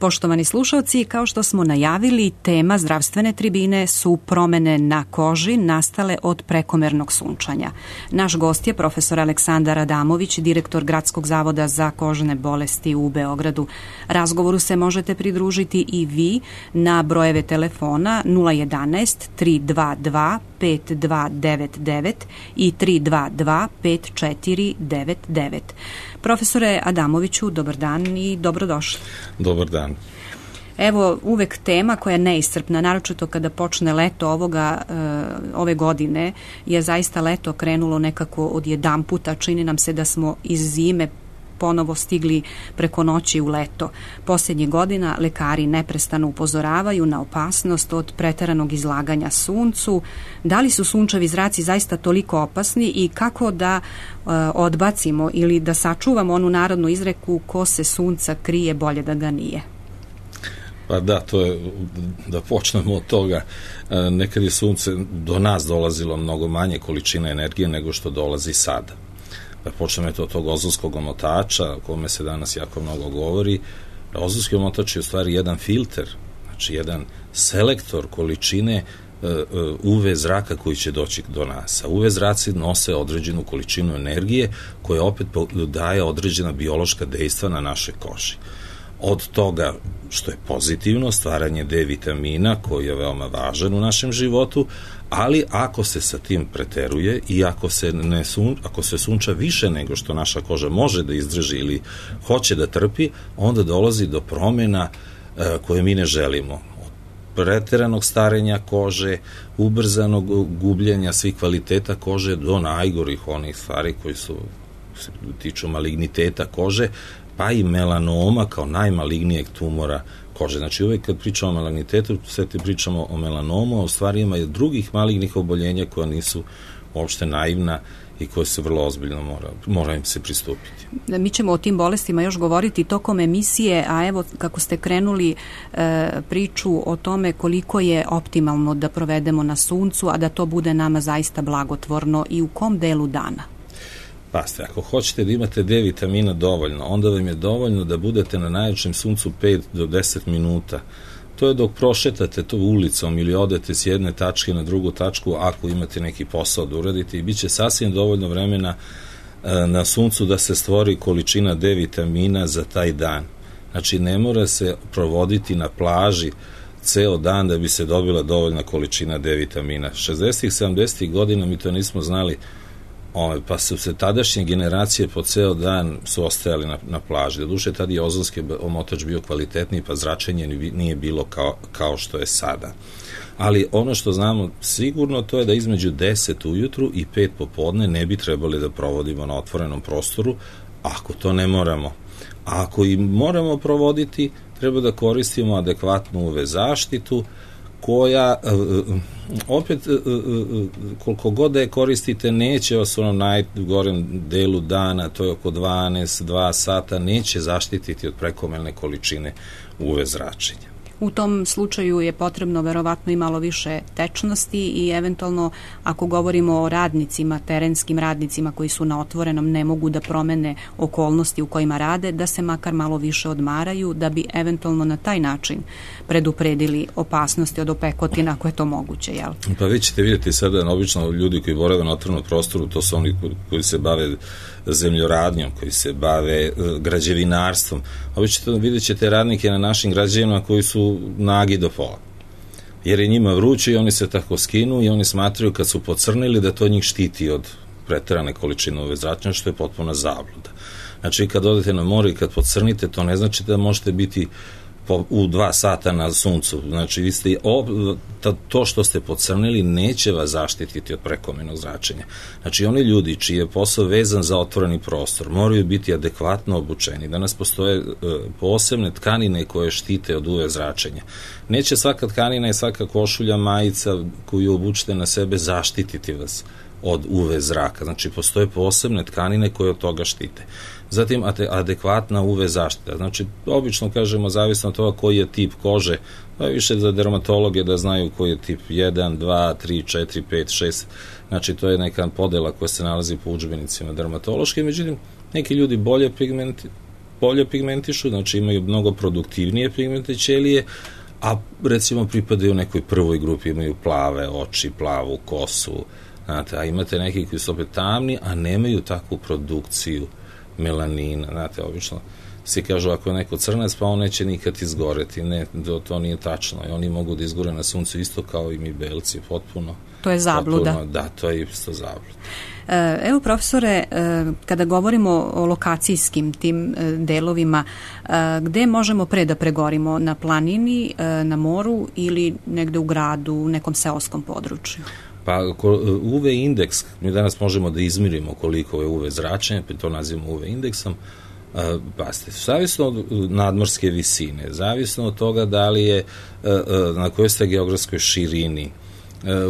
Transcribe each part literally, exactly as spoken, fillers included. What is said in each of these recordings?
Poštovani slušalci, kao što smo najavili, tema zdravstvene tribine su promene na koži nastale od prekomernog sunčanja. Naš gost je profesor Aleksandar Adamović, direktor Gradskog zavoda za kožne bolesti u Beogradu. Razgovoru se možete pridružiti i vi na brojeve telefona nula jedanaest tri dva dva pet dva devet devet i tri dva dva pet četiri devet devet. Profesore Adamoviću, dobar dan i dobrodošli. Dobar dan. Evo, uvek tema koja je neiscrpna, naročito kada počne leto ovoga, ove godine, je zaista leto krenulo nekako od jedan puta. Čini nam se da smo iz zime ponovo stigli preko noći u leto. Posljednjih godina lekari neprestano upozoravaju na opasnost od preteranog izlaganja suncu. Da li su sunčevi zraci zaista toliko opasni i kako da e, odbacimo ili da sačuvamo onu narodnu izreku ko se sunca krije, bolje da ga nije? Pa da, to je, da počnemo od toga, nekad je sunce do nas dolazilo mnogo manje količine energije nego što dolazi sada. Da počnemo od tog ozonskog omotača, o kome se danas jako mnogo govori. Ozonski omotač je u stvari jedan filter, znači jedan selektor količine U V zraka koji će doći do nas. A U V zraci nose određenu količinu energije koja opet daje određena biološka dejstva na našoj koži. Od toga što je pozitivno, stvaranje D vitamina koji je veoma važan u našem životu, ali ako se sa tim preteruje i ako se, ne sun, ako se sunča više nego što naša koža može da izdrži ili hoće da trpi, onda dolazi do promjena e, koje mi ne želimo. Od preteranog starenja kože, ubrzanog gubljenja svih kvaliteta kože do najgorih onih stvari koji su se tiču maligniteta kože, pa i melanoma kao najmalignijeg tumora kože. Znači uvek kad pričamo o malignitetu, sve te pričamo o melanomu, a u stvari ima i drugih malignih oboljenja koja nisu uopšte naivna i koje se vrlo ozbiljno mora, mora im se pristupiti. Mi ćemo o tim bolestima još govoriti tokom emisije, a evo kako ste krenuli e, priču o tome koliko je optimalno da provedemo na suncu, a da to bude nama zaista blagotvorno i u kom delu dana? Paste, ako hoćete da imate D vitamina dovoljno, onda vam je dovoljno da budete na najjačem suncu pet do deset minuta. To je dok prošetate to ulicom ili odete s jedne tačke na drugu tačku ako imate neki posao da uradite i bit će sasvim dovoljno vremena e, na suncu da se stvori količina D vitamina za taj dan. Znači ne mora se provoditi na plaži ceo dan da bi se dobila dovoljna količina D vitamina. šezdesetih, sedamdesetih godina mi to nismo znali, Ove, pa su se tadašnje generacije po ceo dan su ostajali na, na plaži. Doduše, tada je ozonski omotač bio kvalitetniji, pa zračenje nije bilo kao, kao što je sada. Ali ono što znamo sigurno to je da između deset ujutru i pet popodne ne bi trebali da provodimo na otvorenom prostoru, ako to ne moramo. A ako i moramo provoditi, treba da koristimo adekvatnu U V zaštitu, koja opet koliko god da je koristite neće vas u onom najgorem delu dana, to je oko dvanaest dva sata, neće zaštititi od prekomerne količine U V zračenja. U tom slučaju je potrebno verovatno i malo više tečnosti i eventualno ako govorimo o radnicima, terenskim radnicima koji su na otvorenom, ne mogu da promene okolnosti u kojima rade, da se makar malo više odmaraju, da bi eventualno na taj način predupredili opasnosti od opekotina ako je to moguće, jel? Pa vi ćete vidjeti sada, obično ljudi koji borave na otvorenom prostoru, to su oni koji se bave zemljoradnjom, koji se bave građevinarstvom. Obično vidjet ćete radnike na našim građevinama koji su nagi do pola. Jer je njima vruće i oni se tako skinu i oni smatraju kad su pocrnili da to njih štiti od preterane količine U V zračenja, što je potpuna zabluda. Znači kad odete na more i kad pocrnite, to ne znači da možete biti u dva sata na suncu. Znači vi ste, to što ste pocrnili neće vas zaštititi od prekomernog zračenja. Znači oni ljudi čiji je posao vezan za otvoreni prostor moraju biti adekvatno obučeni. Danas postoje posebne tkanine koje štite od U V zračenja. Neće svaka tkanina i svaka košulja, majica koju obučite na sebe zaštititi vas od U V zraka. Znači postoje posebne tkanine koje od toga štite. Zatim adekvatna U V zaštita. Znači, obično kažemo, zavisno od toga koji je tip kože, pa više za dermatologe da znaju koji je tip jedan, dva, tri, četiri, pet, šest. Znači, to je neka podela koja se nalazi po udžbenicima dermatološke. Međutim, neki ljudi bolje pigmenti, bolje pigmentišu, znači imaju mnogo produktivnije pigmente ćelije, a recimo pripadaju nekoj prvoj grupi, imaju plave oči, plavu kosu, znate, a imate neki koji su opet tamni, a nemaju takvu produkciju melanina, znate, obično svi kažu ako je neko crnac, pa on neće nikad izgoreti, ne, to, to nije tačno, i oni mogu da izgore na suncu isto kao i mi belci, potpuno. To je zabluda. Potpuno, da, to je isto zabluda. Evo, profesore, kada govorimo o lokacijskim tim delovima, gde možemo pre da pregorimo? Na planini, na moru ili negde u gradu, u nekom seoskom području? Pa U V indeks, mi danas možemo da izmirimo koliko je U V zračenje, pa to nazivamo U V indeksom. Pazite, zavisno od nadmorske visine, zavisno od toga da li je, na kojoj ste geografskoj širini,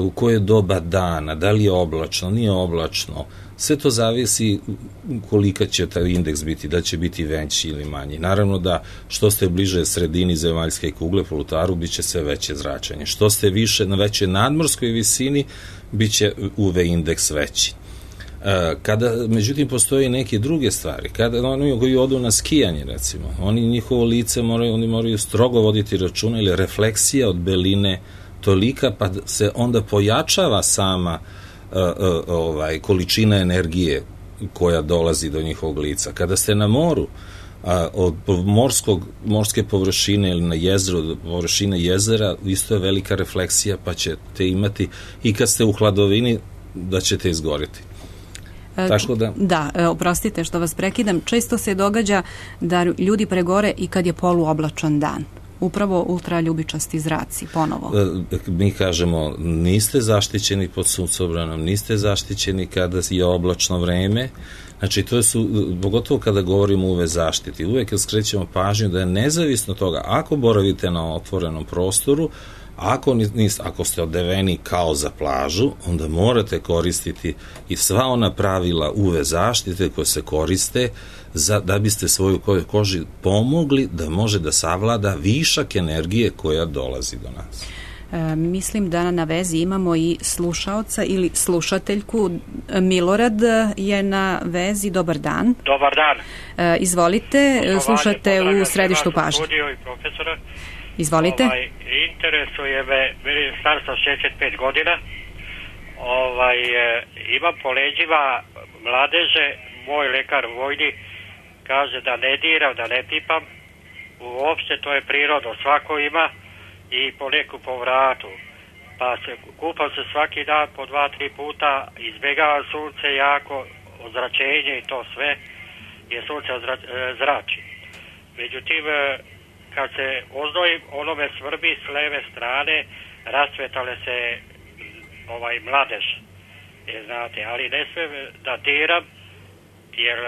u koje doba dana, da li je oblačno, nije oblačno, sve to zavisi kolika će taj indeks biti, da će biti veći ili manji. Naravno da što ste bliže sredini zemaljske kugle, polutaru, bit će sve veće zračenje. Što ste više na većoj nadmorskoj visini, bit će U V indeks veći. Kada, međutim, postoje neke druge stvari, kada oni koji odu na skijanje, recimo, oni njihovo lice moraju, oni moraju strogo voditi računa, ili refleksija od beline tolika, pa se onda pojačava sama uh, uh, ovaj, količina energije koja dolazi do njihovog lica. Kada ste na moru, uh, od morskog, morske površine ili na jezeru, od površine jezera, isto je velika refleksija, pa ćete imati, i kad ste u hladovini, da ćete izgoriti. Tako da, da, oprostite što vas prekidam, često se događa da ljudi pregore i kad je poluoblačan dan. Upravo ultraljubičasti zraci, ponovo. Mi kažemo, niste zaštićeni pod suncobranom, niste zaštićeni kada je oblačno vreme, znači to su, pogotovo kada govorimo o U V zaštiti, uvek skrećemo pažnju da je nezavisno toga, ako boravite na otvorenom prostoru, Ako, nis, ako ste odeveni kao za plažu, onda morate koristiti i sva ona pravila U V zaštite koje se koriste za, da biste svoju koži pomogli da može da savlada višak energije koja dolazi do nas. E, mislim da na vezi imamo i slušaoca ili slušateljku. Milorad je na vezi. Dobar dan. Dobar dan. E, izvolite, Poslovanje, slušate u središtu pažnje. Izvolite. Ovaj, interesuje me, meni je star sam šezdeset pet godina, ovaj, e, imam po leđima mladeže, moj lekar vojni kaže da ne diram, da ne pipam, uopšte to je prirodno, svako ima i po neku po vratu, pa se, kupam se svaki dan po dva, tri puta, izbjegavam sunce jako, ozračenje i to sve, jer sunce ozra, zrači. Međutim, kad se oznojim, ono me svrbi s leve strane, rasvetale se ovaj mladež, je, znate, ali ne smem da diram, jer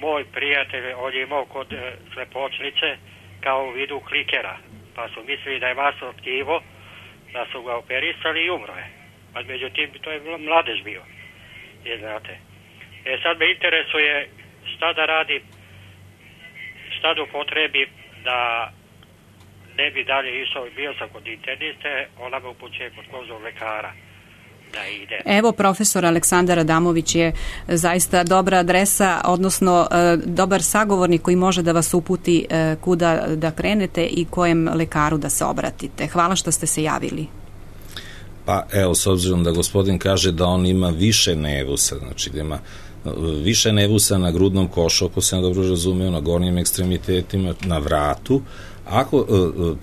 moj prijatelj, on je imao kod slepočnice kao u vidu klikera, pa su mislili da je masno tkivo, da su ga operisali i umro je. A međutim, to je mladež bio, je, znate. E sad me interesuje šta da radim, šta da upotrebim da ne bi dalje išao, bio sam kod interniste, ona me upućuje kod kozog lekara da ide. Evo, profesor Aleksandar Adamović je zaista dobra adresa, odnosno dobar sagovornik koji može da vas uputi kuda da krenete i kojem lekaru da se obratite. Hvala što ste se javili. Pa evo, s obzirom da gospodin kaže da on ima više nevusa, znači da ima više nevusa na grudnom košu, ako sam dobro razumeo, na gornjim ekstremitetima, na vratu. Ako,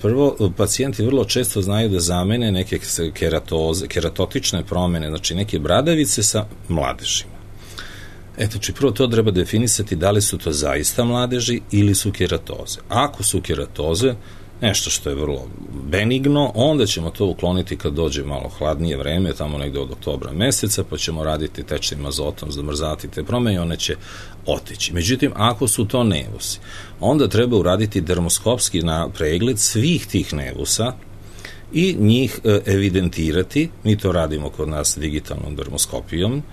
prvo, pacijenti vrlo često znaju da zamene neke keratoze, keratotične promene, znači neke bradavice sa mladežima. Eto, znači prvo to treba definisati da li su to zaista mladeži ili su keratoze. Ako su keratoze, nešto što je vrlo benigno, onda ćemo to ukloniti kad dođe malo hladnije vreme, tamo negde od oktobra meseca, pa ćemo raditi tečnim azotom, zamrzati te promene i one će otići. Međutim, ako su to nevusi, onda treba uraditi dermoskopski pregled svih tih nevusa i njih evidentirati. Mi to radimo kod nas digitalnom dermoskopijom,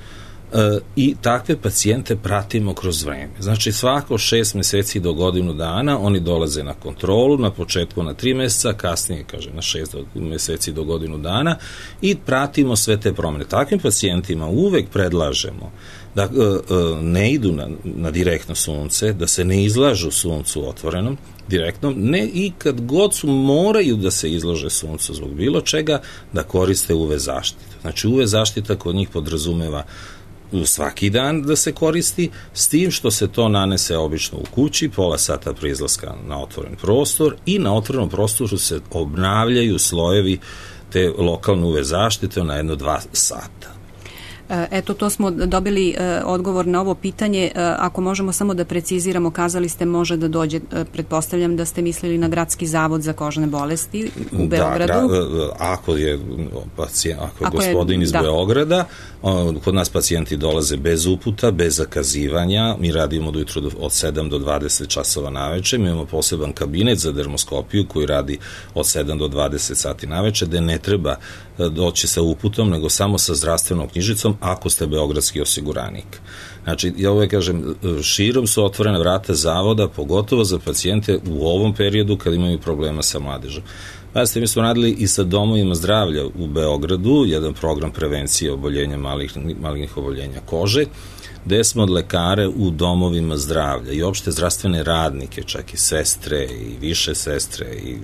i takve pacijente pratimo kroz vreme. Znači svako šest meseci do godinu dana oni dolaze na kontrolu, na početku na tri meseca, kasnije kaže na šest meseci do godinu dana i pratimo sve te promene. Takvim pacijentima uvek predlažemo da ne idu na, na direktno sunce, da se ne izlažu suncu otvorenom, direktnom, ne i kad god su moraju da se izlože suncu zbog bilo čega, da koriste U V zaštitu. Znači U V zaštita kod njih podrazumeva svaki dan da se koristi, s tim što se to nanese obično u kući, pola sata pre izlaska na otvoren prostor i na otvorenom prostoru se obnavljaju slojevi te lokalne U V zaštite na jedno dva sata. Eto, to smo dobili odgovor na ovo pitanje. Ako možemo samo da preciziramo, kazali ste može da dođe, pretpostavljam da ste mislili na Gradski zavod za kožne bolesti u Beogradu. Da, ako je, pacijent, ako je ako gospodin je, iz da. Beograda, kod nas pacijenti dolaze bez uputa, bez zakazivanja, mi radimo do jutro od sedam do dvadeset časova naveče, mi imamo poseban kabinet za dermoskopiju koji radi od sedam do dvadeset sati naveče, gde ne treba doći sa uputom, nego samo sa zdravstvenom knjižicom ako ste beogradski osiguranik. Znači, ja uvek kažem, širom su otvorena vrata zavoda, pogotovo za pacijente u ovom periodu kad imaju problema sa mladežom. Pazite, mi smo radili i sa domovima zdravlja u Beogradu, jedan program prevencije oboljenja malignih, malignih oboljenja kože, gde smo od lekare u domovima zdravlja i opšte zdravstvene radnike, čak i sestre i više sestre i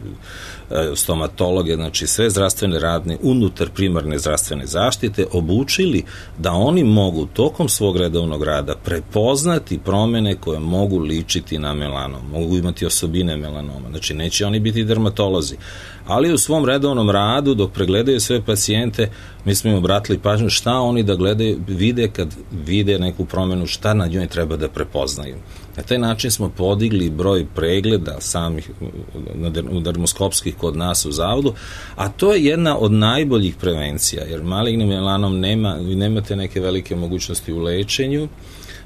e, stomatologe, znači sve zdravstvene radne unutar primarne zdravstvene zaštite obučili da oni mogu tokom svog redovnog rada prepoznati promene koje mogu ličiti na melanom, mogu imati osobine melanoma, znači neće oni biti dermatolozi, ali u svom redovnom radu dok pregledaju sve pacijente mi smo im obratili pažnju šta oni da gledaju, vide kad vide neku promenu, šta na njoj treba da prepoznaju. Na taj način smo podigli broj pregleda samih dermoskopskih kod nas u zavodu, a to je jedna od najboljih prevencija, jer malignim melanom nema, vi nemate neke velike mogućnosti u lečenju,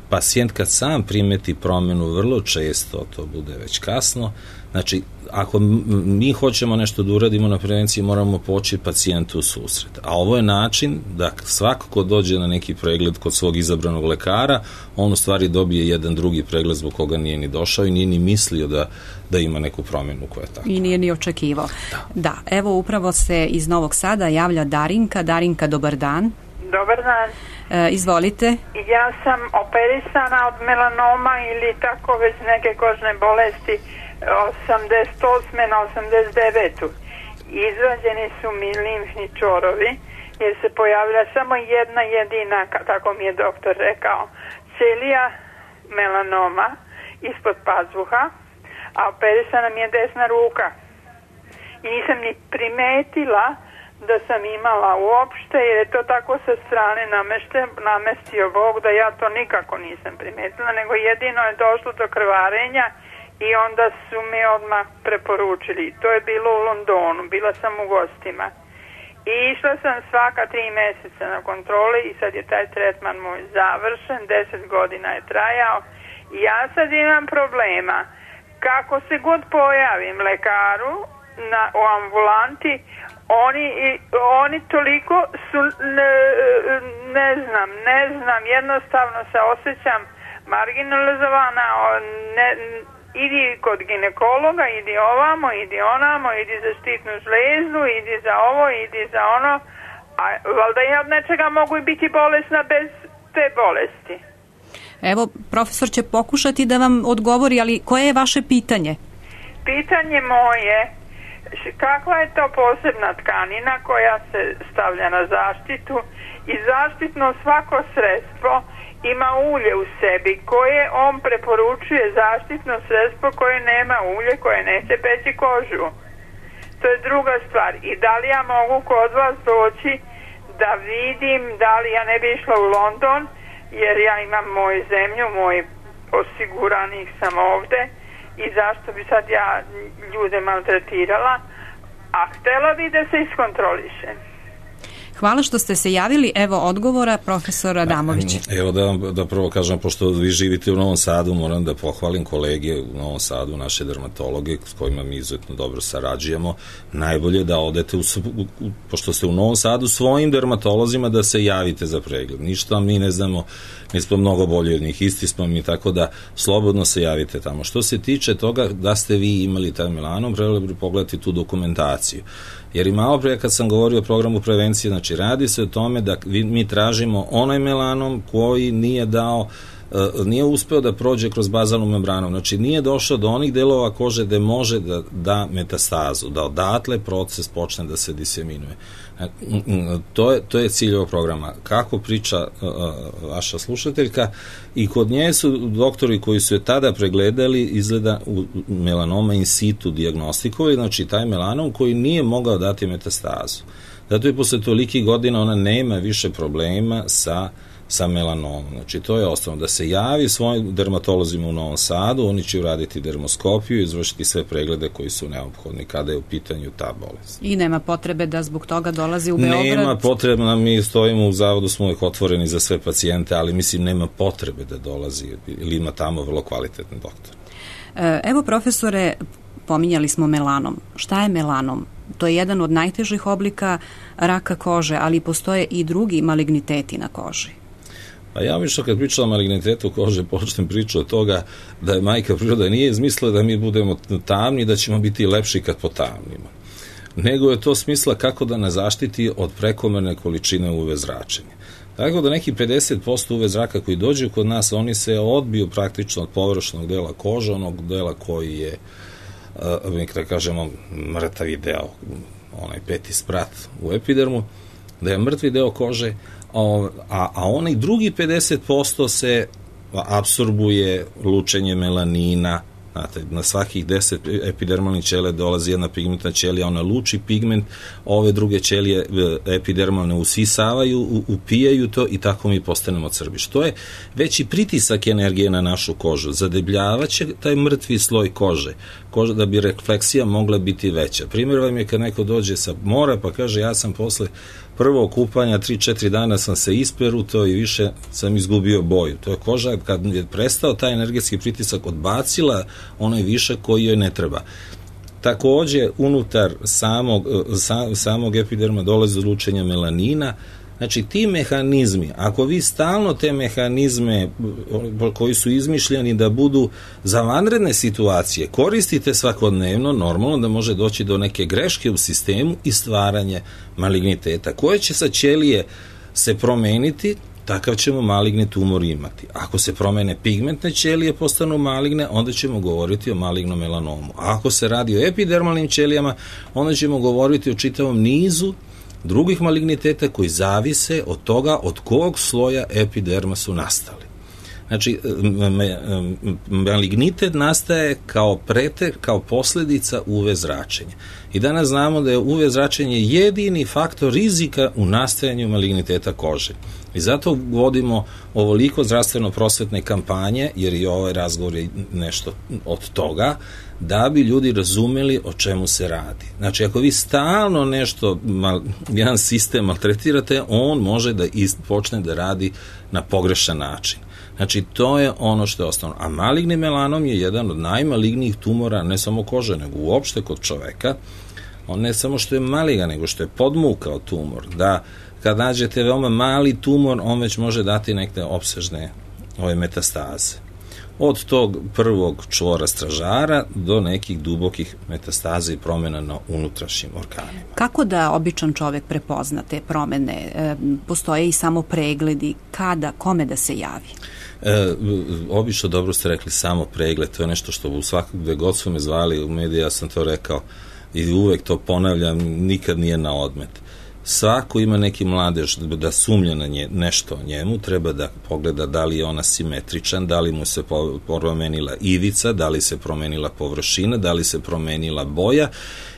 pacijent kad sam primeti promenu vrlo često to bude već kasno, znači ako mi hoćemo nešto da uradimo na prevenciji moramo poći pacijentu u susret, a ovo je način da svako ko dođe na neki pregled kod svog izabranog lekara, on u stvari dobije jedan drugi pregled zbog koga nije ni došao i nije ni mislio da, da ima neku promenu koja je tako. I nije ni očekivao. Da. da, evo upravo se iz Novog Sada javlja Darinka. Darinka, dobar dan. Dobar dan. E, izvolite. Ja sam operisana od melanoma ili tako već neke kožne bolesti osamdeset osme na osamdeset devetu Izvađeni su mi limfni čvorovi jer se pojavila samo jedna jedina, tako mi je doktor rekao, ćelija melanoma ispod pazuha, a operisana mi je desna ruka. I nisam ni primetila da sam imala uopšte, jer je to tako sa strane namešte, namestio Bog da ja to nikako nisam primetila, nego jedino je došlo do krvarenja i onda su mi odmah preporučili. To je bilo u Londonu, bila sam u gostima. I išla sam svaka tri meseca na kontrole i sad je taj tretman moj završen, deset godina je trajao. I ja sad imam problema. Kako se god pojavim lekaru na, u ambulanti, oni, oni toliko su, ne, ne znam, ne znam, jednostavno se osjećam marginalizovana, ne, idi kod ginekologa, idi ovamo, idi onamo, idi za štitnu žlezdu, idi za ovo, idi za ono, a valjda ja od nečega mogu i biti bolesna bez te bolesti. Evo, profesor će pokušati da vam odgovori, ali koje je vaše pitanje? Pitanje moje, kakva je to posebna tkanina koja se stavlja na zaštitu i zaštitno svako sredstvo ima ulje u sebi koje on preporučuje zaštitno sredstvo koje nema ulje, koje neće peći kožu. To je druga stvar. I da li ja mogu kod vas doći da vidim, da li ja ne bi išla u London, jer ja imam moju zemlju, moj osiguranih sam ovde i zašto bi sad ja ljude maltretirala, a htela bi da se iskontrolišem. Hvala što ste se javili. Evo odgovora profesora Adamovića. Evo da vam da prvo kažem, pošto vi živite u Novom Sadu, moram da pohvalim kolege u Novom Sadu, naše dermatologe s kojima mi izuzetno dobro sarađujemo. Najbolje da odete, u, u, pošto ste u Novom Sadu, svojim dermatolozima da se javite za pregled. Ništa mi ne znamo, mi smo mnogo bolji od njih, isti smo mi, tako da slobodno se javite tamo. Što se tiče toga da ste vi imali taj melanom, trebali bi pogledati tu dokumentaciju. Jer i malo pre kad sam govorio o programu prevencije, znači Znači, radi se o tome da mi tražimo onaj melanom koji nije dao nije uspeo da prođe kroz bazalnu membranu, znači nije došao do onih delova kože gde može da da metastazu, da odatle proces počne da se diseminuje. To je, to je cilj ovog programa. Kako priča uh, vaša slušateljka, i kod nje su doktori koji su je tada pregledali, izgleda u melanoma in situ dijagnostikovali, znači taj melanom koji nije mogao dati metastazu. Zato je posle tolikih godina ona nema više problema sa sa melanomom. Znači, to je osnovno. Da se javi svojim dermatolozima u Novom Sadu, oni će uraditi dermoskopiju i izvršiti sve preglede koji su neophodni kada je u pitanju ta bolest. I nema potrebe da zbog toga dolazi u Beograd? Nema potrebe, mi stojimo u zavodu, smo uvijek otvoreni za sve pacijente, ali mislim nema potrebe da dolazi, ili ima tamo vrlo kvalitetni doktor. Evo, profesore, pominjali smo melanom. Šta je melanom? To je jedan od najtežih oblika raka kože, ali postoje i drugi maligniteti na koži. Pa ja obično kad pričam o malignitetu kože počnem priču od toga da je majka priroda nije izmislila da mi budemo tamni i da ćemo biti lepši kad potamnimo. Nego je to smisla kako da nas zaštiti od prekomerne količine U V zračenja. Tako da neki pedeset posto U V zraka koji dođu kod nas, oni se odbiju praktično od površnog dela kože, onog dela koji je, da kažemo, mrtavi deo, onaj peti sprat u epidermu, da je mrtvi deo kože, a, a onaj drugi pedeset posto se apsorbuje lučenje melanina. Znate, na svakih deset epidermalnih ćelija dolazi jedna pigmentna ćelija, ona luči pigment, ove druge ćelije epidermalne usisavaju, upijaju to i tako mi postanemo crbi. Što je veći pritisak energije na našu kožu, zadebljavaće taj mrtvi sloj kože, koža da bi refleksija mogla biti veća. Primjer vam je kad neko dođe sa mora pa kaže ja sam posle prvog kupanja, tri četiri dana sam se isperutao i više sam izgubio boju. To je koža kad je prestao taj energetski pritisak odbacila onaj višak koji joj ne treba. Takođe, unutar samog, sa, samog epiderma dolazi do lučenja melanina. Znači, ti mehanizmi, ako vi stalno te mehanizme koji su izmišljeni da budu za vanredne situacije koristite svakodnevno, normalno da može doći do neke greške u sistemu i stvaranje maligniteta, koje će sa ćelije se promeniti, takav ćemo maligni tumor imati. Ako se promene pigmentne ćelije, postanu maligne, onda ćemo govoriti o malignom melanomu. A ako se radi o epidermalnim ćelijama, onda ćemo govoriti o čitavom nizu drugih maligniteta koji zavise od toga od kog sloja epiderma su nastali. Znači, malignitet nastaje kao pretek, kao posledica U V zračenja. I danas znamo da je U V zračenje jedini faktor rizika u nastajanju maligniteta kože. I zato vodimo ovoliko zdravstveno-prosvetne kampanje, jer i ovaj razgovor je nešto od toga, da bi ljudi razumeli o čemu se radi. Znači, ako vi stalno nešto, jedan sistem maltretirate, on može da počne da radi na pogrešan način. Znači, to je ono što je osnovno. A maligni melanom je jedan od najmalignijih tumora, ne samo kože, nego uopšte kod čoveka. On ne samo što je maligan, nego što je podmukao tumor. Da, kad nađete veoma mali tumor, on već može dati neke opsežne ove metastaze. Od tog prvog čvora stražara do nekih dubokih metastaza i promjena na unutrašnjim organima. Kako da običan čovek prepozna te promene? E, postoje i samo pregledi, kada, kome da se javi? E, obično dobro ste rekli, samo pregled, to je nešto što u svakog gde god su me zvali u mediji, ja sam to rekao i uvek to ponavljam, nikad nije na odmet. Svako ima neki mladež da sumnja na nje, nešto o njemu, treba da pogleda da li je ona simetričan, da li mu se promenila ivica, da li se promenila površina, da li se promenila boja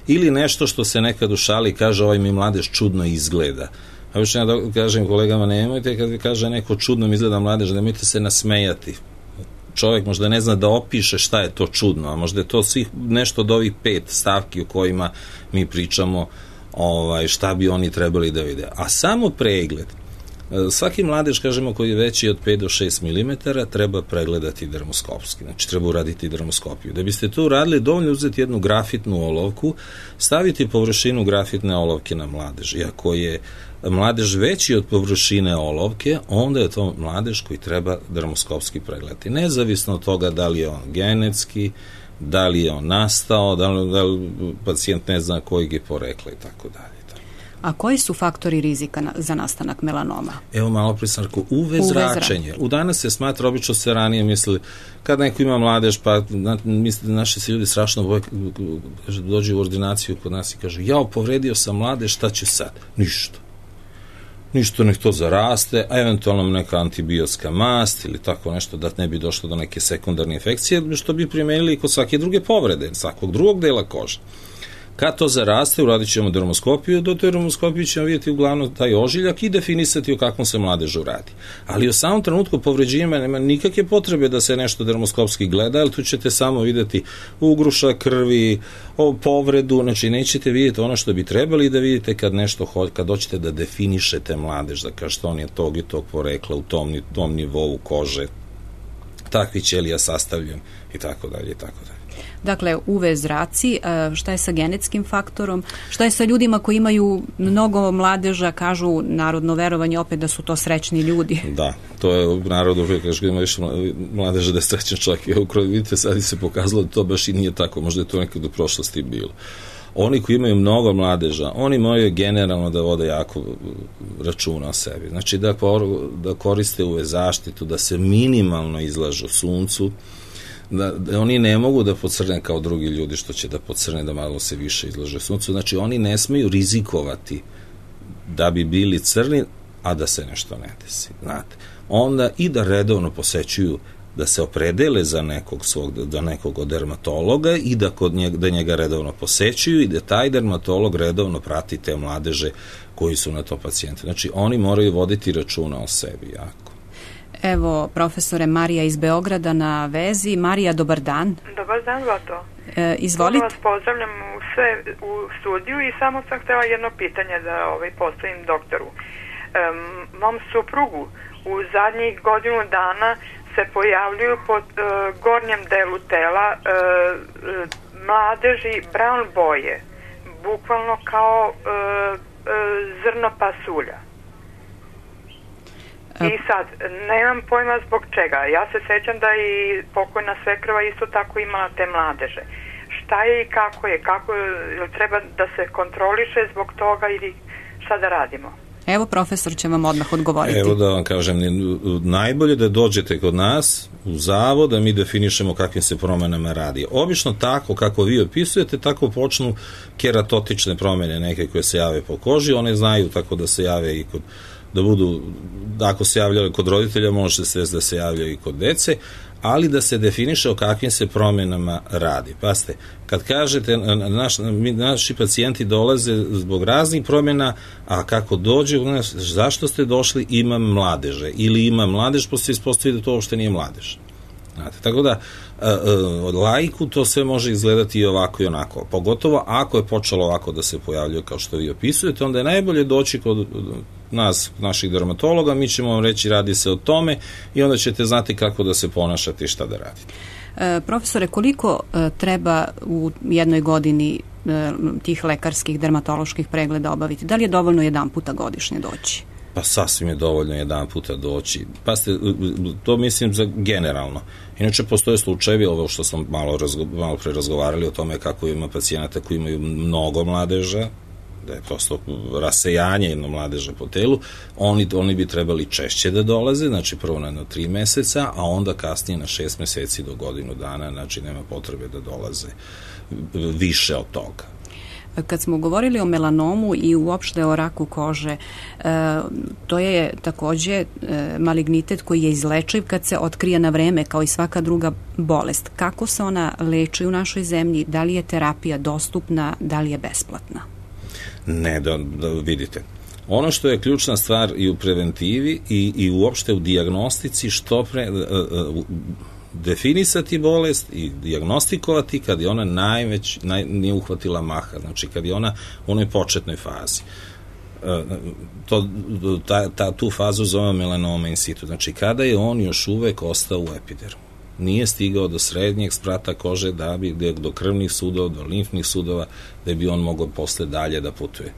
ili nešto što se nekad u šali kaže ovaj mi mladež čudno izgleda. A još ja da kažem kolegama, nemojte kad kaže neko čudno izgleda mladež, nemojte se nasmejati. Čovjek možda ne zna da opiše šta je to čudno, a možda je to svih nešto od ovih pet stavki o kojima mi pričamo, ovaj, šta bi oni trebali da vide. A samo pregled, svaki mladež, kažemo, koji je veći od pet do šest milimetara, treba pregledati dermoskopski, znači treba uraditi dermoskopiju. Da biste to uradili, dovoljno uzeti jednu grafitnu olovku, staviti površinu grafitne olovke na mladež. I ako je mladež veći od površine olovke, onda je to mladež koji treba dermoskopski pregledati. Nezavisno od toga da li je on genetski, da li je on nastao, da li, da li pacijent ne zna kojeg je porekla i tako dalje. A koji su faktori rizika na, za nastanak melanoma? Evo malo prije sam rekao, U V zračenje. U danas se smatra, obično se ranije mislili, kad neko ima mladež, pa na, misli, naši se ljudi strašno boje, kaže, dođe u ordinaciju kod nas i kažu, jao, povredio sam mladež, šta će sad? Ništa. Ništa, nek to zaraste, a eventualno neka antibiotska mast ili tako nešto da ne bi došlo do neke sekundarne infekcije, što bi primenili i kod svake druge povrede, svakog drugog dela kože. Kad to zaraste, uradit ćemo dermoskopiju, do dermoskopiju ćemo vidjeti uglavnom taj ožiljak i definisati o kakvom se mladežu radi. Ali u samom trenutku povređivanja nema nikakve potrebe da se nešto dermoskopski gleda, ali tu ćete samo vidjeti ugruša krvi, o povredu, znači nećete vidjeti ono što bi trebali da vidite kad nešto, kad hoćete da definišete mladež, da kažete on je tog i tog porekla u tom, tom nivou kože, takvi ćelija sastavljen i tako dalje i tako dalje. Dakle, U V zraci, šta je sa genetskim faktorom, šta je sa ljudima koji imaju mnogo mladeža, kažu narodno verovanje opet da su to srećni ljudi. Da, to je u narodu, kažu da ima više mladeža da je srećan čovjek. Evo, vidite, sad se pokazalo da to baš i nije tako, možda je to nekad u prošlosti bilo. Oni koji imaju mnogo mladeža, oni moraju generalno da vode jako računa o sebi. Znači da, da koriste U V zaštitu, da se minimalno izlažu suncu, Da, da oni ne mogu da pocrne kao drugi ljudi što će da pocrne, da malo se više izlaže suncu, znači oni ne smeju rizikovati da bi bili crni, a da se nešto ne desi, znate. Onda i da redovno posećuju, da se opredele za nekog svog, da nekog od dermatologa i da kod njega, da njega redovno posećuju i da taj dermatolog redovno prati te mladeže koji su na to pacijente. Znači oni moraju voditi računa o sebi jako. Evo, profesore, Marija iz Beograda na vezi. Marija, dobar dan. Dobar dan, Zlato. E, izvolite. Vas pozdravljam u, sve, u studiju i samo sam htjela jedno pitanje da ovaj, postavim doktoru. E, mom suprugu u zadnjih godinu dana se pojavljuju pod e, gornjem delu tela e, e, mladeži brown boje, bukvalno kao e, e, zrno pasulja. I sad, nemam pojma zbog čega. Ja se sećam da i pokojna svekrva isto tako imala te mladeže. Šta je i kako je? Kako je, treba da se kontroliše zbog toga ili šta da radimo? Evo, profesor će vam odmah odgovoriti. Evo da vam kažem, najbolje da dođete kod nas u zavod, da mi definišemo kakvim se promenama radi. Obično tako kako vi opisujete, tako počnu keratotične promene neke koje se jave po koži, one znaju tako da se jave i kod da budu, ako se javljaju kod roditelja, može se da se javljaju i kod dece, ali da se definiše o kakvim se promjenama radi. Pazite, kad kažete, naš, naši pacijenti dolaze zbog raznih promjena, a kako dođe, zašto ste došli, imam mladeže, ili imam mladež, pa se ispostavi da to uopšte nije mladež. Znate, tako da od laiku to sve može izgledati i ovako i onako. Pogotovo ako je počelo ovako da se pojavljuje kao što vi opisujete, onda je najbolje doći kod nas, naših dermatologa, mi ćemo vam reći radi se o tome i onda ćete znati kako da se ponašate i šta da radite. E, profesore, koliko e, treba u jednoj godini e, tih lekarskih dermatoloških pregleda obaviti? Da li je dovoljno jedan puta godišnje doći? Pa sasvim je dovoljno jedan puta doći. Pa ste, to mislim za generalno. Inače, postoje slučajevi, ovo što smo malo, razgo, malo pre razgovarali o tome kako ima pacijenata koji imaju mnogo mladeža, da je prosto rasejanje jedno mladeža po telu, oni, oni bi trebali češće da dolaze, znači prvo na jedno tri meseca, a onda kasnije na šest meseci do godinu dana, znači nema potrebe da dolaze više od toga. Kad smo govorili o melanomu i uopšte o raku kože, to je takođe malignitet koji je izlečiv kad se otkrije na vreme, kao i svaka druga bolest. Kako se ona leči u našoj zemlji? Da li je terapija dostupna? Da li je besplatna? Ne, da, da vidite. Ono što je ključna stvar i u preventivi i, i uopšte u dijagnostici, što pre... definisati bolest i dijagnostikovati kad je ona najveć, naj, nije uhvatila maha, znači kad je ona u onoj početnoj fazi. To, ta, ta, tu fazu zove melanoma in situ, znači kada je on još uvek ostao u epidermu. Nije stigao do srednjeg sprata kože, da bi do krvnih sudova, do limfnih sudova, da bi on mogao posle dalje da putuje.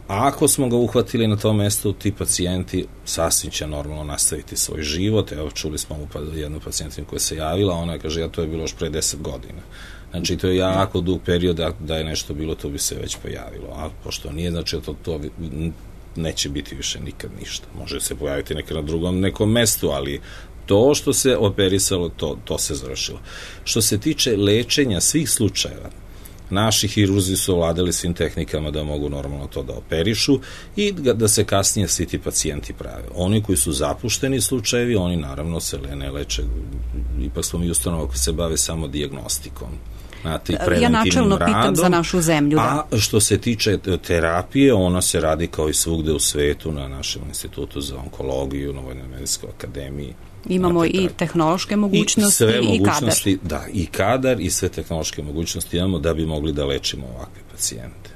A ako smo ga uhvatili na tom mestu, ti pacijenti sasvim će normalno nastaviti svoj život. Evo, čuli smo jednu pacijentinu koja se javila, ona kaže, ja to je bilo još pre deset godina. Znači, to je jako dug period, da je nešto bilo, to bi se već pojavilo. A pošto nije, znači, to, to neće biti više nikad ništa. Može se pojaviti nekad na drugom nekom mestu, ali to što se operisalo, to, to se završilo. Što se tiče lečenja svih slučajeva, naši hirurzi su ovladali svim tehnikama da mogu normalno to da operišu i da se kasnije svi ti pacijenti prave. Oni koji su zapušteni slučajevi, oni naravno se ne leče, ipak smo mi ustanova koji se bave samo dijagnostikom. Znate, ja načelno pitam radom, za našu zemlju. Da. A što se tiče terapije, ona se radi kao i svugde u svetu na našem institutu za onkologiju, na Vojnoj medicinskoj akademiji. Imamo znate, i tehnološke mogućnosti i, i, i mogućnosti, kadar. Da, i kadar i sve tehnološke mogućnosti imamo da bi mogli da lečimo ovakve pacijente.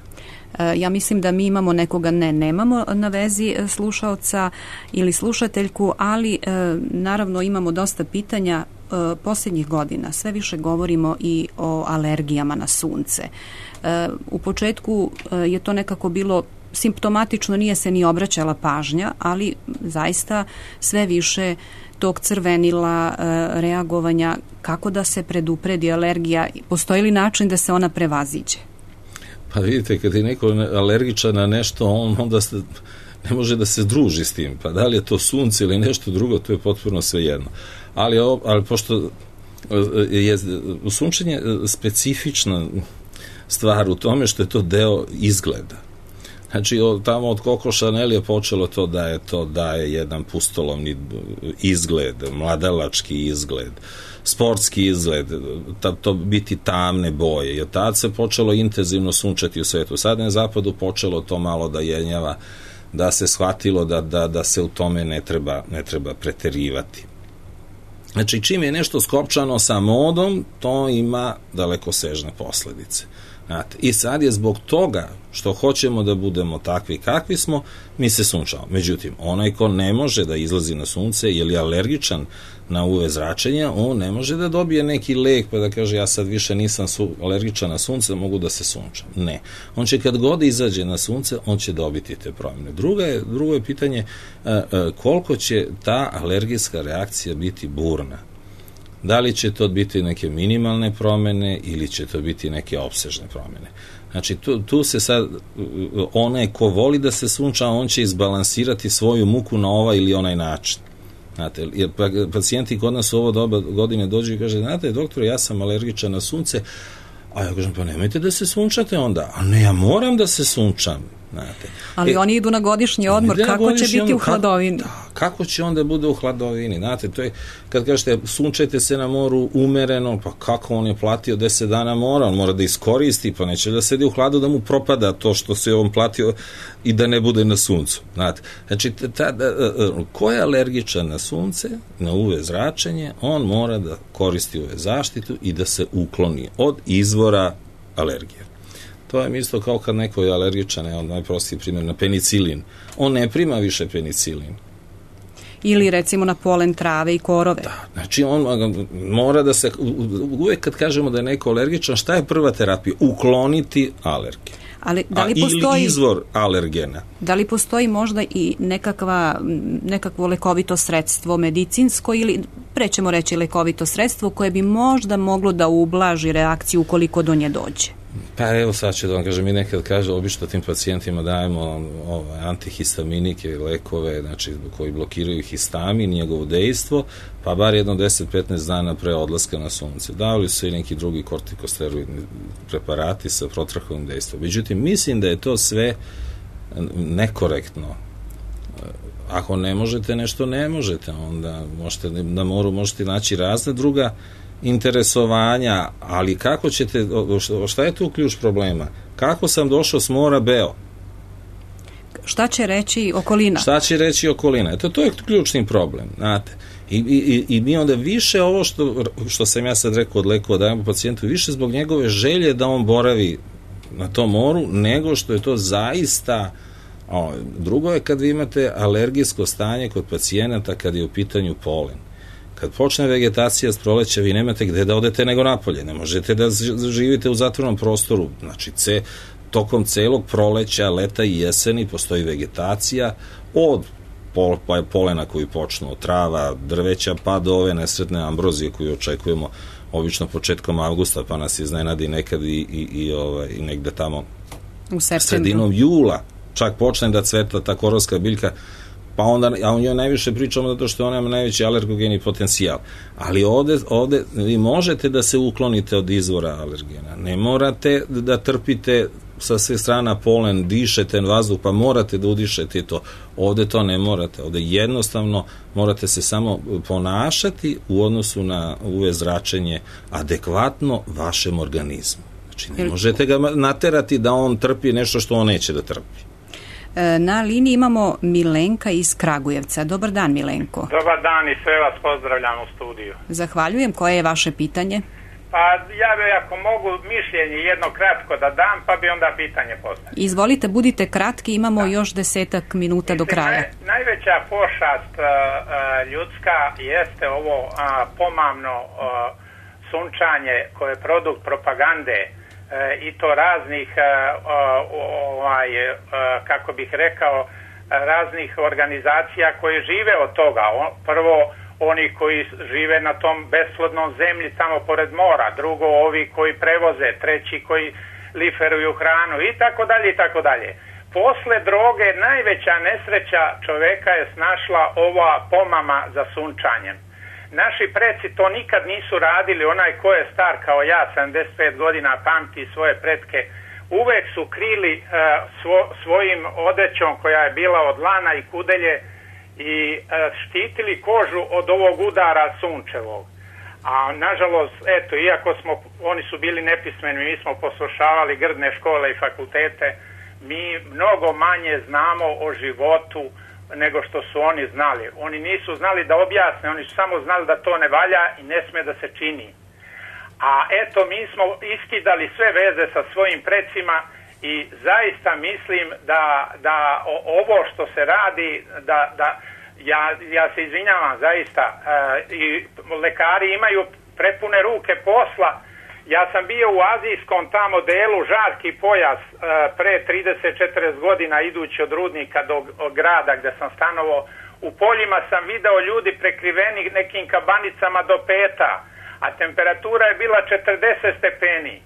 Ja mislim da mi imamo nekoga, ne, nemamo na vezi slušaoca ili slušateljku, ali naravno imamo dosta pitanja. Posljednjih godina sve više govorimo i o alergijama na sunce. U početku je to nekako bilo simptomatično, nije se ni obraćala pažnja, ali zaista sve više tog crvenila, reagovanja, kako da se predupredi alergija, postoji li način da se ona prevaziđe? Pa vidite, kad je neko alergičan na nešto, on onda se, ne može da se druži s tim, pa da li je to sunce ili nešto drugo, to je potpuno svejedno. Ali, ali pošto je sunčenje specifična stvar u tome što je to deo izgleda. Znači, tamo od Coco Chanel je počelo to da je to daje jedan pustolovni izgled, mladalački izgled, sportski izgled, to biti tamne boje. I od tada se počelo intenzivno sunčati u svetu. Sad na zapadu počelo to malo da jenjava, da se shvatilo da, da, da se u tome ne treba, ne treba preterivati. Znači, čim je nešto skopčano sa modom, to ima dalekosežne posledice. Znate, i sad je zbog toga što hoćemo da budemo takvi kakvi smo, mi se sunčamo. Međutim, onaj ko ne može da izlazi na sunce ili je alergičan na U V zračenja, on ne može da dobije neki lek pa da kaže ja sad više nisam su, alergičan na sunce, mogu da se sunčam. Ne. On će kad god izađe na sunce, on će dobiti te promjene. Druga je, drugo je pitanje a, a, koliko će ta alergijska reakcija biti burna. Da li će to biti neke minimalne promjene ili će to biti neke opsežne promjene. Znači, tu, tu se sad, onaj ko voli da se sunča, on će izbalansirati svoju muku na ovaj ili onaj način. Znate, jer pacijenti kod nas u ovo doba godine dođu i kaže, znate, doktore, ja sam alergičan na sunce, a ja kažem, pa nemojte da se sunčate onda. A ne, ja moram da se sunčam. Znate. Ali e, oni idu na godišnji odmor, kako godišnji će biti odmor, u hladovini? Kako, da, kako će onda bude u hladovini? Znate, to je, kad kažete, sunčajte se na moru umereno, pa kako on je platio deset dana mora, on mora da iskoristi, pa neće da sedi u hladu da mu propada to što se on platio i da ne bude na suncu. Znate, znači, ta, ta, ko je alergičan na sunce, na U V zračenje, on mora da koristi U V zaštitu i da se ukloni od izvora alergije. To je isto kao kad neko je alergičan, je on najprostiji primjer, na penicilin. On ne prima više penicilin. Ili recimo na polen trave i korove. Da, znači on mora da se, uvek kad kažemo da je neko alergičan, šta je prva terapija? Ukloniti alergiju. Ali da li A, postoji, ili izvor alergena. Da li postoji možda i nekakva, nekakvo lekovito sredstvo medicinsko ili prećemo reći lekovito sredstvo koje bi možda moglo da ublaži reakciju ukoliko do nje dođe? Pa evo sad ću da vam kažem, mi nekad kaže, obično tim pacijentima dajemo ovaj, antihistaminike, lekove, znači koji blokiraju histamin, njegovo dejstvo, pa bar jedno deset do petnaest dana pre odlaska na sunce. Davali su i neki drugi kortikosteroidni preparati sa protrahovim dejstvom. Međutim, mislim da je to sve nekorektno. Ako ne možete nešto, ne možete, onda možete, na moru možete naći razne druga interesovanja, ali kako ćete, šta je tu ključ problema? Kako sam došao s mora beo? Šta će reći okolina? Šta će reći okolina? Eto, to je ključni problem, znate. I, i, i mi onda više ovo što, što sam ja sad rekao od lekova dajemo pacijentu, više zbog njegove želje da on boravi na tom moru, nego što je to zaista. O, drugo je kad vi imate alergijsko stanje kod pacijenata kad je u pitanju polen. Kad počne vegetacija s proleća, vi nemate gde da odete nego napolje. Ne možete da živite u zatvornom prostoru. Znači, ce, tokom celog proleća, leta i jeseni postoji vegetacija od pol, polena koji počnu od trava, drveća, pa do ove nesretne ambrozije koju očekujemo obično početkom avgusta, pa nas iznenadi nekad i, i, i, ovaj, i negde tamo u sredinom jula čak počne da cveta ta korovska biljka, pa onda, a o njoj najviše pričamo zato što ona ima najveći alergogeni potencijal. Ali ovde, ovde vi možete da se uklonite od izvora alergena. Ne morate da trpite sa sve strana polen, dišete vazduh, pa morate da udišete to. Ovde to ne morate. Ovde jednostavno morate se samo ponašati u odnosu na U V zračenje adekvatno vašem organizmu. Znači, ne možete ga naterati da on trpi nešto što on neće da trpi. Na liniji imamo Milenka iz Kragujevca. Dobar dan, Milenko. Dobar dan i sve vas pozdravljam u studiju. Zahvaljujem. Koje je vaše pitanje? Pa ja bi, ako mogu, mišljenje jedno kratko da dam, pa bi onda pitanje postavio. Izvolite, budite kratki, imamo da. još desetak minuta do kraja. Naj, najveća pošast uh, uh, ljudska jeste ovo uh, pomamno uh, sunčanje koje je produkt propagande uh, i to raznih uh, uh, ovaj, uh, kako bih rekao, uh, raznih organizacija koje žive od toga. O, prvo oni koji žive na tom besplodnom zemlji tamo pored mora, drugo ovi koji prevoze, treći koji liferuju hranu i tako dalje i tako dalje. Posle droge najveća nesreća čoveka je snašla ova pomama za sunčanjem. Naši preci to nikad nisu radili, onaj ko je star kao ja, sedamdeset pet godina, pamti svoje pretke, uvek su krili uh, svo, svojim odećom koja je bila od lana i kudelje i e, štitili kožu od ovog udara sunčevog. A nažalost, eto, iako smo, oni su bili nepismeni, mi smo poslušavali grdne škole i fakultete, mi mnogo manje znamo o životu nego što su oni znali. Oni nisu znali da objasne, oni su samo znali da to ne valja i ne sme da se čini. A eto, mi smo iskidali sve veze sa svojim precima i zaista mislim da, da ovo što se radi, da, da ja, ja se izvinjavam zaista, e, i lekari imaju prepune ruke posla. Ja sam bio u azijskom tamo delu, žarki pojas, e, pre trideset četrdeset godina idući od Rudnika do grada gde sam stanovao. U poljima sam video ljudi prekriveni nekim kabanicama do peta, a temperatura je bila četrdeset stepeni.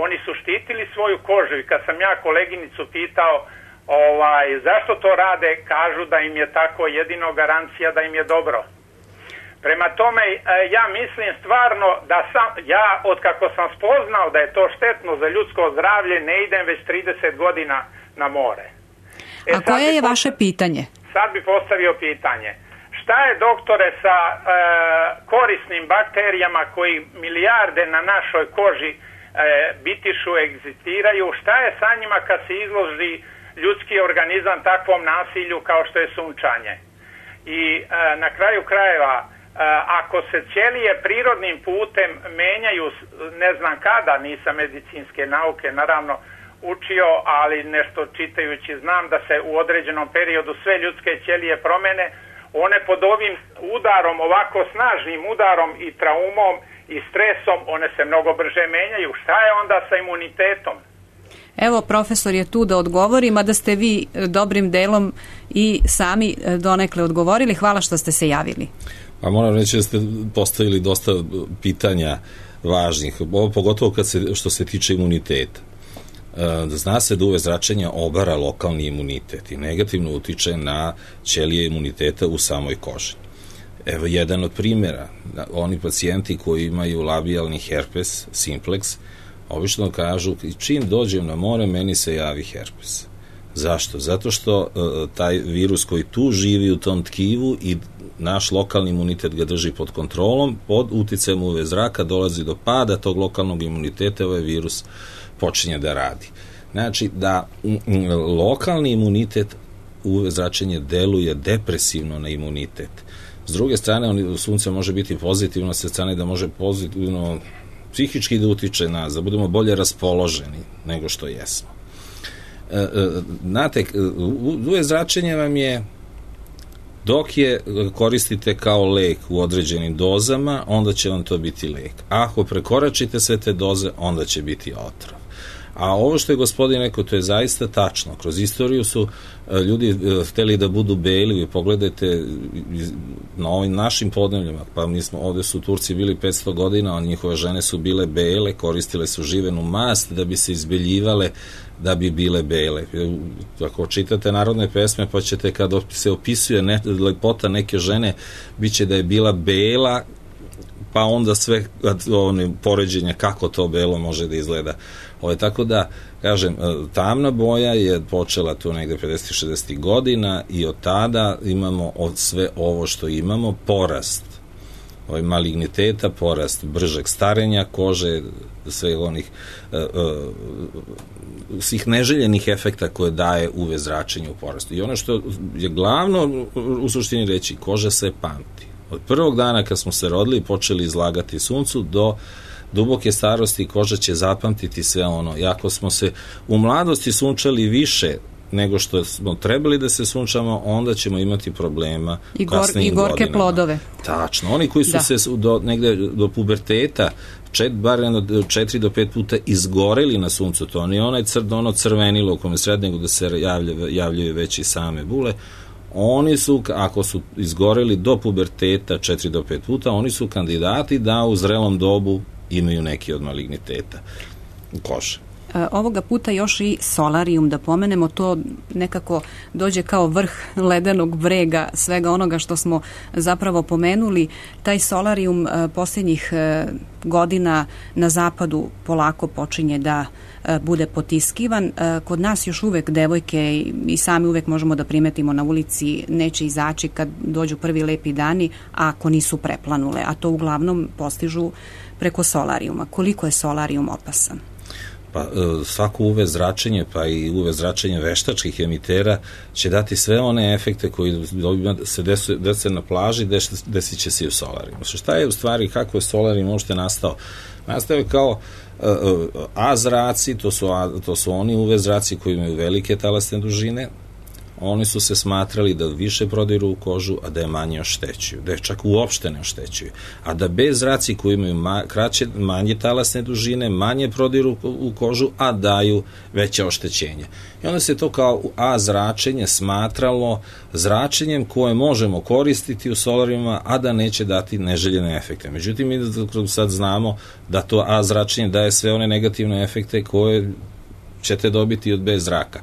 Oni su štitili svoju kožu i kad sam ja koleginicu pitao ovaj, zašto to rade, kažu da im je tako jedino garancija da im je dobro. Prema tome, ja mislim stvarno da sam, ja od kako sam spoznao da je to štetno za ljudsko zdravlje, ne idem već trideset godina na more. E, A koje je vaše pitanje? Sad bi postavio pitanje. Šta je, doktore, sa e, korisnim bakterijama koji milijarde na našoj koži E, bitišu, egzistiraju, šta je sa njima kad se izloži ljudski organizam takvom nasilju kao što je sunčanje? I e, na kraju krajeva, e, ako se ćelije prirodnim putem menjaju, ne znam kada, nisam medicinske nauke naravno učio, ali nešto čitajući znam da se u određenom periodu sve ljudske ćelije promene, one pod ovim udarom, ovako snažnim udarom i traumom i stresom, one se mnogo brže menjaju. Šta je onda sa imunitetom? Evo, profesor je tu da odgovori, mada ste vi dobrim delom i sami donekle odgovorili. Hvala što ste se javili. Pa moram reći da ste postavili dosta pitanja važnih, ovo pogotovo kad se, što se tiče imuniteta. Zna se da U V zračenja obara lokalni imunitet i negativno utiče na ćelije imuniteta u samoj koži. Evo jedan od primjera, oni pacijenti koji imaju labijalni herpes simplex, obično kažu, čim dođem na more, meni se javi herpes. Zašto? Zato što uh, taj virus koji tu živi u tom tkivu i naš lokalni imunitet ga drži pod kontrolom, pod uticajem U V zraka dolazi do pada tog lokalnog imuniteta, ovaj virus počinje da radi. Znači da m, m, lokalni imunitet U V zračenje deluje depresivno na imunitet. S druge strane, on, sunce može biti pozitivno, sa strane da može pozitivno psihički da utiče nas, da budemo bolje raspoloženi nego što jesmo. E, e, znate, U V zračenje vam je, dok je koristite kao lek u određenim dozama, onda će vam to biti lek. Ako prekoračite sve te doze, onda će biti otrov. A ovo što je gospodin rekao, to je zaista tačno. Kroz istoriju su ljudi hteli da budu beli, vi pogledajte na ovim našim podneljima, pa mi smo, ovde su Turci bili petsto godina, a njihove žene su bile bele, koristile su živenu mast da bi se izbeljivale, da bi bile bele. Ako čitate narodne pesme, pa ćete kada se opisuje ne, lepota neke žene, bit će da je bila bela, pa onda sve one poređenja kako to belo može da izgleda. Ovo, tako da, kažem, tamna boja je počela tu negde pedesetih šezdesetih godina i od tada imamo od sve ovo što imamo, porast ovaj maligniteta, porast bržeg starenja kože, sve onih uh, uh, svih neželjenih efekta koje daje U V zračenje u porastu. I ono što je glavno u suštini reći, koža se pamti. Od prvog dana kad smo se rodili i počeli izlagati suncu do duboke starosti koža će zapamtiti sve ono. I ako smo se u mladosti sunčali više nego što smo trebali da se sunčamo, onda ćemo imati problema i, gor, i gorke godinama. Plodove. Tačno. Oni koji su da. se do, negde do puberteta čet, bar četiri do pet puta izgoreli na suncu, to nije onaj cr, ono crvenilo u kome sred, nego da se javlja, javljaju već i same bule. Oni su, ako su izgoreli do puberteta četiri do pet puta, oni su kandidati da u zrelom dobu imaju neki od maligniteta kože. Ovoga puta još i solarijum da pomenemo, to nekako dođe kao vrh ledenog brega svega onoga što smo zapravo pomenuli. Taj solarijum posljednjih godina na zapadu polako počinje da bude potiskivan. Kod nas još uvek devojke i sami uvek možemo da primetimo na ulici neće izaći kad dođu prvi lepi dani, ako nisu preplanule, a to uglavnom postižu preko solarijuma. Koliko je solarijum opasan? Pa svako U V zračenje, pa i U V zračenje veštačkih emitera će dati sve one efekte koji se desu, dese na plaži, desit će se i u solarijumu. Šta je u stvari, kako je solarijum uopšte nastao? Nastao je kao A zraci, to su, to su oni U V zraci koji imaju velike talasne dužine. Oni su se smatrali da više prodiru u kožu, a da je manje oštećuju, da je čak uopšte ne oštećuju. A da B zraci koji imaju ma, kraće, manje talasne dužine, manje prodiru u kožu, a daju veće oštećenje. I onda se to kao A zračenje smatralo zračenjem koje možemo koristiti u solarijuma, a da neće dati neželjene efekte. Međutim, mi sad znamo da to A zračenje daje sve one negativne efekte koje ćete dobiti od B zraka.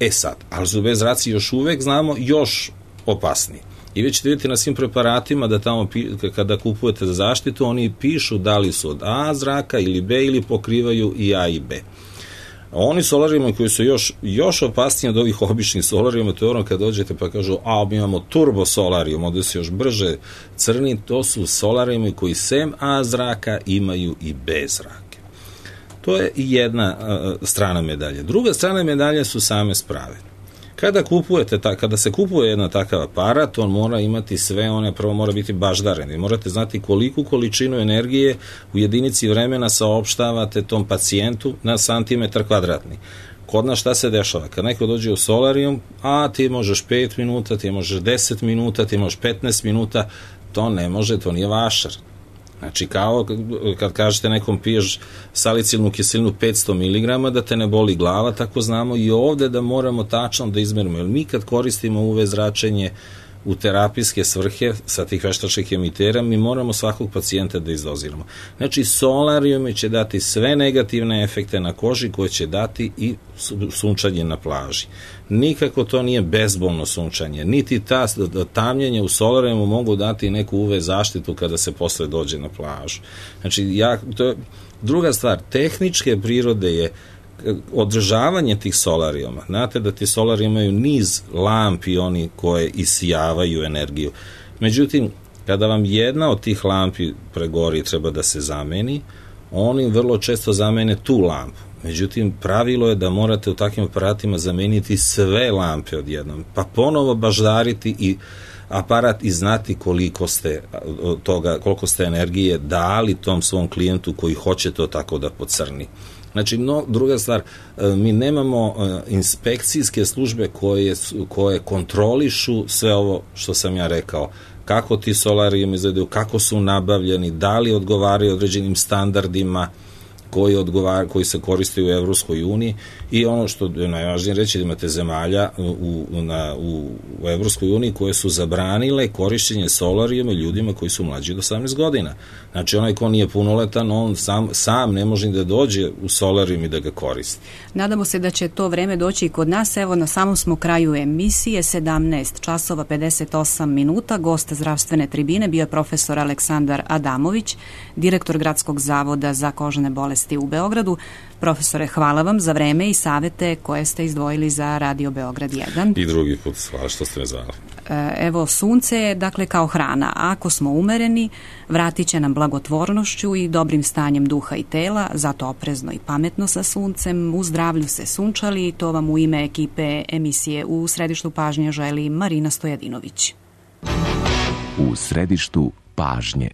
E sad, ali su B zraci još uvek znamo još opasniji. I vi ćete vidjeti na svim preparatima da tamo kada kupujete za zaštitu, oni pišu da li su od A zraka ili B ili pokrivaju i A i B. Oni solarijumi koji su još, još opasniji od ovih običnih solarijuma, to je ono kad dođete pa kažu, a mi imamo turbo solarijum, ovdje se još brže crni, to su solarijumi koji sem A zraka imaju i B zraka. To je jedna uh, strana medalje. Druga strana medalje su same sprave. Kada kupujete, ta, kada se kupuje jedan takav aparat, on mora imati sve one, prvo mora biti baždaren. Morate znati koliku količinu energije u jedinici vremena saopštavate tom pacijentu na santimetar kvadratni. Kod nas šta se dešava? Kad neko dođe u solarijum, a ti možeš pet minuta, ti možeš deset minuta, ti možeš petnaest minuta, to ne može, to nije vašar. Znači, kao kad kažete nekom piješ salicilnu kiselinu petsto miligrama da te ne boli glava, tako znamo i ovde da moramo tačno da izmerimo. Jer mi kad koristimo U V zračenje u terapijske svrhe sa tih veštačkih emitera, mi moramo svakog pacijenta da izdoziramo. Znači, solarijumi će dati sve negativne efekte na koži koje će dati i sunčanje na plaži. Nikako to nije bezbolno sunčanje, niti ta tamljenje u solarijumu mogu dati neku U V zaštitu kada se posle dođe na plažu. Znači, ja, to je druga stvar, tehničke prirode je održavanje tih solarijuma. Znate da ti solarijumi imaju niz lampi oni koje isijavaju energiju. Međutim, kada vam jedna od tih lampi pregori i treba da se zameni, oni vrlo često zamene tu lampu. Međutim, pravilo je da morate u takvim aparatima zameniti sve lampe odjednom, pa ponovo baždariti i aparat i znati koliko ste toga, koliko ste energije dali tom svom klijentu koji hoće to tako da pocrni. Znači, no, druga stvar, mi nemamo inspekcijske službe koje, koje kontrolišu sve ovo što sam ja rekao, kako ti solarijumi izgledaju, kako su nabavljeni, da li odgovaraju određenim standardima koji, odgovar, koji se koriste u Evropskoj uniji i ono što je najvažnije reći da imate zemalja u, na, u, u Evropskoj uniji koje su zabranile korišćenje solarijuma ljudima koji su mlađi od osamnaest godina. Znači onaj ko nije punoletan, on sam, sam ne može da dođe u solarijum i da ga koristi. Nadamo se da će to vreme doći i kod nas. Evo, na samom smo kraju emisije, sedamnaest časova pedeset osam minuta. Gost zdravstvene tribine bio je profesor Aleksandar Adamović, direktor Gradskog zavoda za kožne bolesti u Beogradu. Profesore, hvala vam za vreme i savete koje ste izdvojili za Radio Beograd jedan. I drugi put, hvala što ste me zvali. Evo, sunce je dakle kao hrana. Ako smo umereni, vratit će nam blagotvornošću i dobrim stanjem duha i tela, zato oprezno i pametno sa suncem, u zdravlju se sunčali i to vam u ime ekipe emisije U središtu pažnje želi Marina Stojadinović. U središtu pažnje.